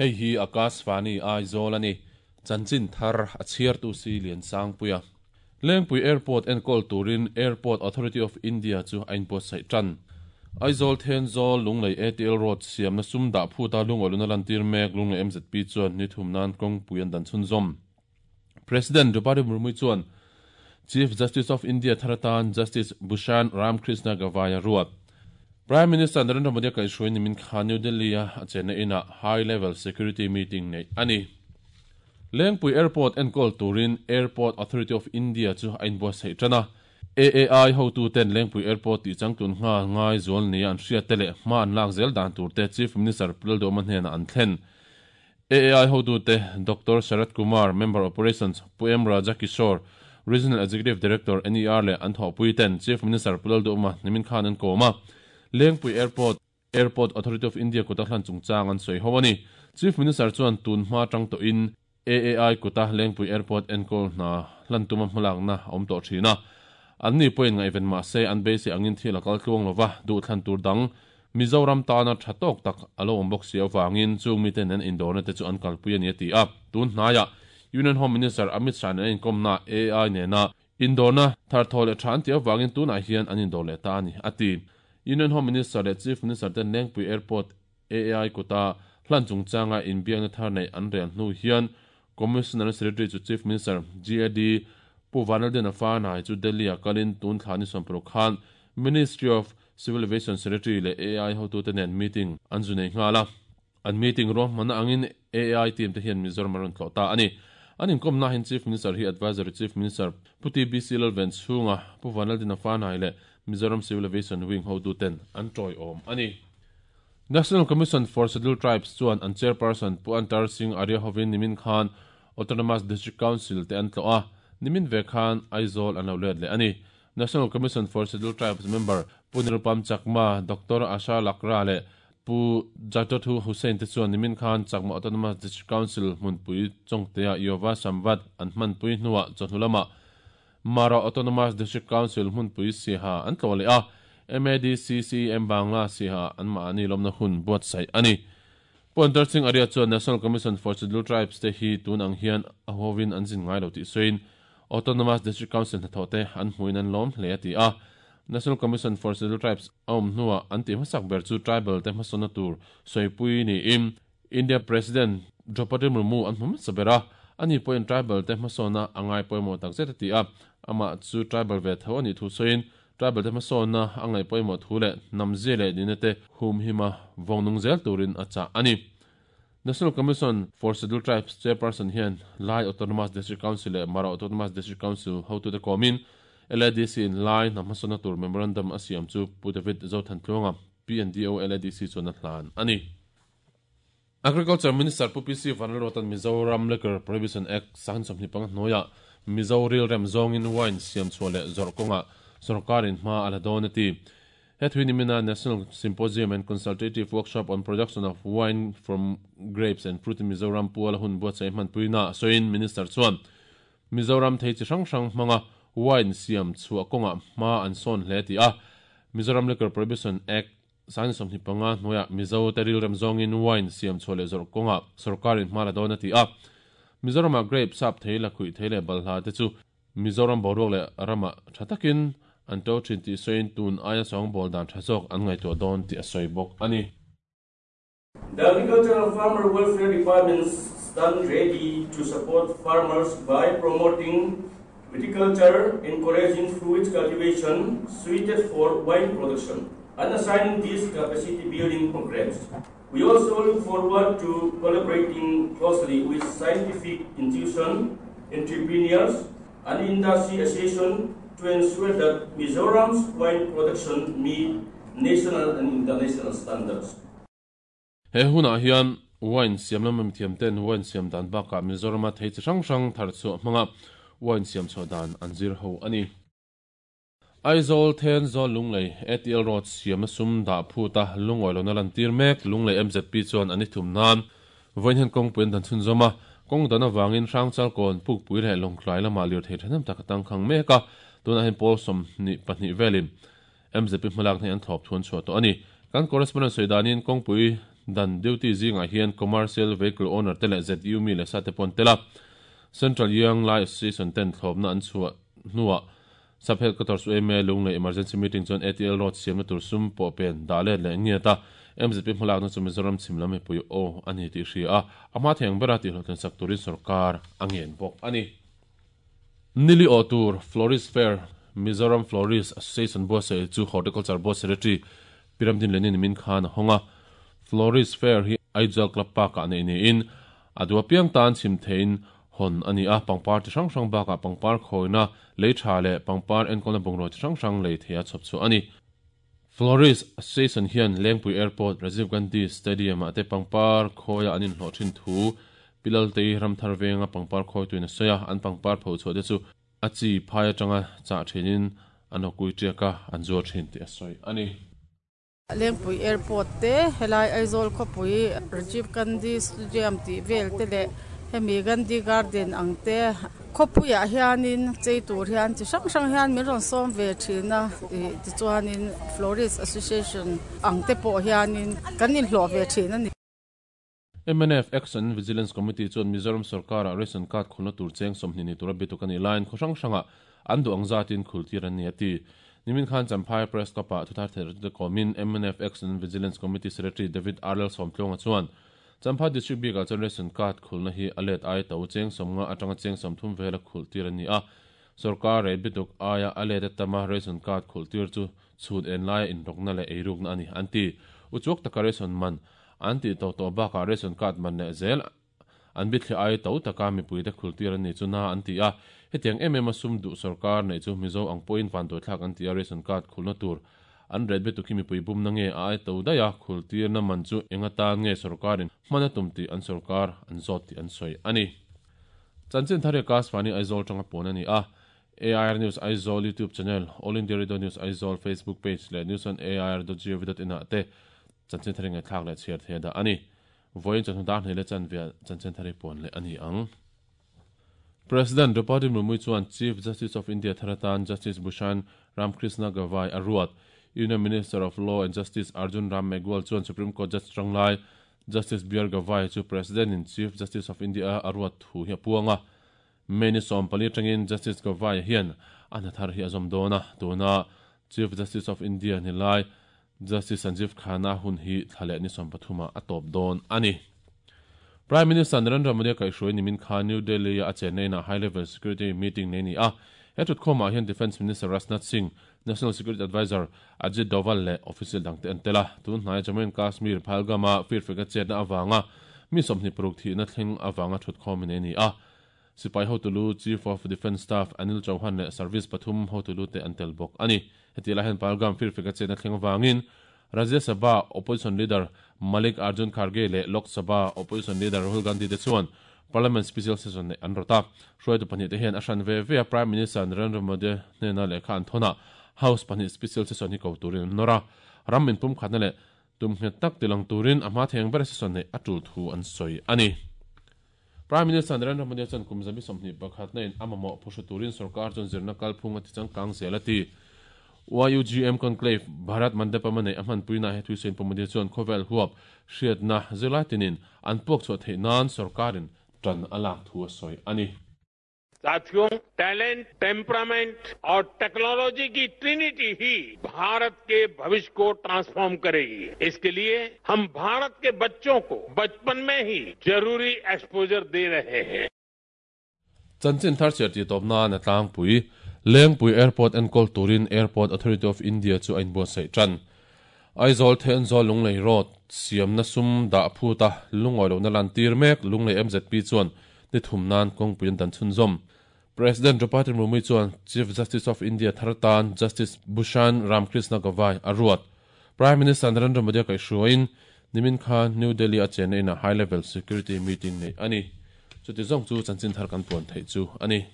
Hei hi Akashvani Aizawl a ni. Chanchin thar a chhiartu si Liansangpuia. Lengpui Airport enkawl turin Airport Authority of India chu a inbuatsaih tan. Aizawl Thenzawl Lunglei ATL Road siamna sum dah phuta lungawluna lantir mek Lunglei MZP chuan ni thum nan kawngpui an dan chhunzawm. President Draupadi Murmu chuan Chief Justice of India thar atan Justice Bhushan Ramkrishna Gavai a ruat. Prime Minister Narendra Modi a kaihhruai nimin khan New Delhi-a a chenna inah High Level Security Meeting neih a ni. Lengpui Airport enkawl turin Airport Authority of India chu a inbuatsaih tan a. AAI hotuten Lengpui Airport tih changtlun nghal ngai zual nia an hriatte leh hma an lak zel dan turte Chief Minister Pu Lalduhoma hnenah an thlen. AAI hotute Doctor Sharad Kumar, Member Operations, Pu M Raja Kishore, Regional Executive Director, NER leh an thawhpuiten Chief Minister Pu Lalduhoma nimin khan an kawm a. Lengpui Airport. Airport Authority of India kuta hlan chungchang an sawi ho a ni. Chief Minister chuan tun hma tang tawhin AAI kuta Lengpui Airport enkawl hna hlan tuma hmalakna a awm tawh thin a. An ni pawhin ngaihven mah se an beisei angin thil a kal tluang lova, duhthlan tur dang Mizoram tana tha tawk tak a lo awm bawk si avangin chung mite nen indawrna te chu an kalpui a ni a ti a. Tun hnaiah Union Home Minister Amit Shah nen a inkawmna AAI nena Indawrna thar thaw leh tha an tih avangin tunah hian an indawr leh ta a ni, a ti. Union Home Minister leh Chief Minister ten Lengpui Airport AAI kuta hlan chungchanga inbiakna thar neih an rel hnu hian Commissioner Secretary chu Chief Minister GAD Pu Vanlaldiana Fanai chu Delhi-ah kalin tun thla ni 60 khan Ministry of Civil Aviation Secretary leh AAI hotute nen meeting an zu nei nghal a. An meeting ruahmanna angin AAI team te hian Mizoram an rawn tlawh ta a ni. An inkawmna hian Chief Minister hi Advisory Chief Minister Pu TBC Lalvenchhunga, Pu Vanlaldina Fanai leh Mizoram Civil Aviation Wing hotuten an tawiawm a ni. National Commission for Scheduled Tribes chuan an Chairperson Pu Antar Singh Arya hovin nimin khan Autonomous District Council te an tlawh a, nimin ve khan Aizawl an lo let leh a ni. National Commission for Scheduled Tribes member Pu Nirupam Chakma, Doctor Asha Lakra leh Pu Jatothu Hussain te chuan nimin khan Chakma Autonomous District Council hmunpui Chawngtea Yova Samvad an hmanpui hnuah chawhnu lamah Mara Autonomous District Council hmunpui Siaha an tlawh leh a, MADC CEM Bangla Siaha an mahni lawmna hun buatsaih a ni. Pu Antar Singh Arya chuan National Commission for Scheduled Tribes te hi tun ang hian a huavin an zin ngai lo tih sawiin Autonomous District Council hnathawh te an hmuhin an lawm hle a ti a. National Commission for Scheduled Tribes a awm hnuah an tih hmasak ber chu tribal te hmasawnna tur sawipui niin India President Draupadi Murmu an hmu hmasa ber a, ani pawhin tribal te hmasawnna a ngai pawimawh takzet a ti a, amah chu tribal ve tho a nih thu sawiin tribal te hmasawnna a ngaih pawimawh thu leh hnamzia leh nihna te humhima vawng nung zel turin a chah a ni. National Commission for Scheduled Tribes Chairperson hian Lai Autonomous District Council leh Mara Autonomous District Council hotute kawmin LADC in Lai hnam hmasawnna tur Memorandum a siam chu Pu David Zothantluanga, PNDO LADC chuan a hlan a ni. Agriculture Minister Pu PC Vanlalruata'n Mizoram Liquor Prohibition Act 25 hnuaiah Mizo rilrem zawngin wine siamchhuah leh zawrh kawngah sawrkarin hma a la dawn a ti. He thui nimina National Symposium and Consultative Workshop on Production of Wine from Grapes and Fruit in Mizoram puala hun buatsaih hmanpuina sawiin Minister chuan Mizoram thei chi hrang hrang hmanga wine siam chhuah kawngah hma an sawn hle tih a, Mizoram Liquor Prohibition Act 25 hnuaiah Mizo te rilrem zawngin wine siam chhuah leh zawrh kawngah sawrkarin hma la dawn a ti a. Mizoramah grape, sap thei, lakhuih thei leh balhla te chu Mizoram boruak leh ramah tha takin an to thin tih sawiin tun aia sawngbawl dan tha zawk an ngaihtuah dawn tih a sawi bawk a ni. The Agricultural Farmer Welfare Department stand ready to support farmers by promoting viticulture, encouraging fruit cultivation suited for wine production, and assigning these capacity building programs. We also look forward to collaborating closely with scientific institutions, entrepreneurs, and industry associations to ensure that Mizoram's wine production meet national and international standards. He hunah hian wine siam lama mithiam ten wine siam dan bakah Mizorama thei chi hrang hrang thar chhuah hmanga wine siam chhuah dan an zir ho a ni. Aizawl Thenzawl Lunglei ATL Road siamna sum dah phut a lungawi lohna lantir mek Lunglei MZP chuan an i thum nan vawiin hian kawngpui an dan chhunzawm a, kawng dan avangin Hrangchalkawn, Pukpui leh Lawngtlai lamah lirthei thahnem tak a tangkhang mek a, tunah hian pawl 22 velin MZP hmalakna hi an thlawp thuan chhuah tawh a ni. Kan correspondent sawi danin kawngpui Dan duty zingah hian commercial vehicle owner te leh ZU mi leh sa te pawh an tel a. Central Young Lai Association ten thlawpna an chhuah hnuah Sub Headquarters yma Lunglei Emergency Meeting chuan ATL Road siamna tur sum pawh pen dah let leh ngiat a, MZP hmalakna chu Mizoram chhim lam mipui aw a ni tih hria a, a hma thei ang bera tihhlawhtlin sak turin sorkar a ngen bawk a ni. Nili awh tur Florist Fair, Mizoram Florist Association buatsaih chu Horticulture Board Secretary Pi Ramdin Lenin min khan a hawng a. Florist Fair hi Aizawl Club Park-ah neih niin a duh apiang tan chhim theiin hawn a ni a, pangpar chi hrang hrang bakah pangpar khawina lei tha leh pangpar enkawlna bungraw chi hrang hrang lei theia chhawp chhuah a ni. Florist Association hian Lengpui Airport, Rajiv Gandhi Stadium-ah te pangpar khawia an inhlawh thin thu Pi Laltei Ramthar venga pangpar khawituin a sawi a, an pangpar pho chhuah te chu a chi phai atanga chah thinin an hawkui tiak a, an zuar thin tih a sawi a ni. Lengpui Airport te, helai Aizawl khawpui Rajiv Gandhi Stadium tih vel te leh hemi Gandhi Garden ang te khawpuiah hianin chei tur hian chi hrang hrang hian min rawn sawm ve thin a ih tichuanin Florist Association ang te pawh hianin kan inhlawh ve thin a ni. Mnf Action and Vigilance Committee chuan Mizoram sorkara ration card khulna tur cheng 20 ni tura bituk a nih laiin khaw hrang hrangah an duh ang zatin khul tir an ni a ti. Nimin khan Champhai Press Club-ah thuthar theihratute kawmin mnf Action and Vigilance Committee Secretary David R Lalsawmtluanga chuan Champhai District bikah chuan ration card khulna hi a let ai to cheng 50 atanga cheng 30 vela khulh tir an ni a, sorkar rate bituk aia a let a tama ration card khulh tir chu chhut en laia inrawkna leh eirukna a ni an ti. Uchuak taka ration man An tih tawh tawh bakah ration card man leh zel an bithli ai to taka mipuite khultir an nih chu na an ti a. Hetiang em em a sum duh sorkar neih chu Mizo ang pawhin vanduaithlak an ti a, ration card khulna tur an ret betuk hi mipui bumna nge a ai to daih a, khultirna man chu eng atan nge sorkarin hman a tum tih an sorkar an zawt tih an sawi a ni. Chanchin thar hi Akashvani Aizawl tanga puan a ni a, AIR News Aizawl YouTube channel, All India Radio News Aizawl Facebook page leh news on air dot gov dot in ah te Chanchin thar i ngaihthlak leh chhiar thei a dah a ni. Vawiin chawhnu dar hnih leh chanve chanchin thar i puan leh a ni ang. President Draupadi Murmu chuan Chief Justice of India thar atan Justice Bhushan Ramkrishna Gavai a ruat. Union Minister of Law and Justice Arjun Ram Meghwal chuan Supreme Court Judge tanglai Justice BR Gavai chu President-in Chief Justice of India a ruat thu hi a puang a. May ni 14 atangin Justice Gavai hian a hna thar hi a zawm dawn a, tuna Chief Justice of India ni lai Justice Sanjeev Khanna hun hi thla leh ni 13 ah a tawp dawn a ni. Prime Minister Narendra Modi a kaihhruai nimin kha New Delhi-a a chenna inah High Level Security Meeting nei a ni a. He thutkhawmah hian Defence Minister Rajnath Singh, National Security Adviser Ajit Doval leh official dangte an tel a. Tun hnaia Jammu and Kashmir Pahalgam-a firfeka chetna avanga mi 26 thihna thleng avanga thutkhawm nei a ni a. Sipai hotulu Chief of Defence Staff Anil Chauhan leh Service pathum hotulu te an tel bawk a ni. Heti lai hian Pahalgam firfeka chetna thleng avangin Rajya Sabha Opposition Leader Malik Arjun Kharge leh Lok Sabha Opposition Leader Rahul Gandhi te chuan Parliament Special Session neih an rawt a. Hruaitu pahnih te hian a hran ve ve a Prime Minister Narendra Modi hnena lehkha an thawn a, House pahnih Special Session hi ko turin an nawr a. Ram inpumkhatna leh tum nghet tak tilang turin a hma theng ber session neih a tul thu an sawi a ni. Prime Minister Narendra Modi chuan kum 21 na in a mamawh phuhru turin sorkar chuan zirna kalphung a tichangkang zel a ti. YUGM Conclave, Bharat Mandapam a neih a hmanpuinaah he thuisawiin Pu Modi chuan khawvel huap hriatna zirlai tinin an puak chhuah theih nan sorkarin tan a lak thu a sawi a ni. साथियों talent temperament और technology की Trinity ही भारत के भविष्य को transform करेगी इसके लिए हम भारत के बच्चों को बचपन में ही जरूरी एक्सपोजर दे रहे हैं Chanchin thar chhiar tih tawp nan a tlangpui. Lengpui Airport enkawl turin Airport Authority of India chu a inbuatsaih tan. Aizawl Thenzawl Lunglei Road siamna sum dah phut a lungawi lohna lantir mek Lunglei MZP chuan ni thum nan kawngpui an dan chhunzawm. President Draupadi Murmu chuan Chief Justice of India thar tan Justice Bhushan Ramkrishna Gavai a ruat. Prime Minister Narendra Modi a kaihhruaiin nimin kha New Delhi a chenna inah High Level Security Meeting neih a ni. Chuti zawng chu chanchin thar kan puan theih chu a ni.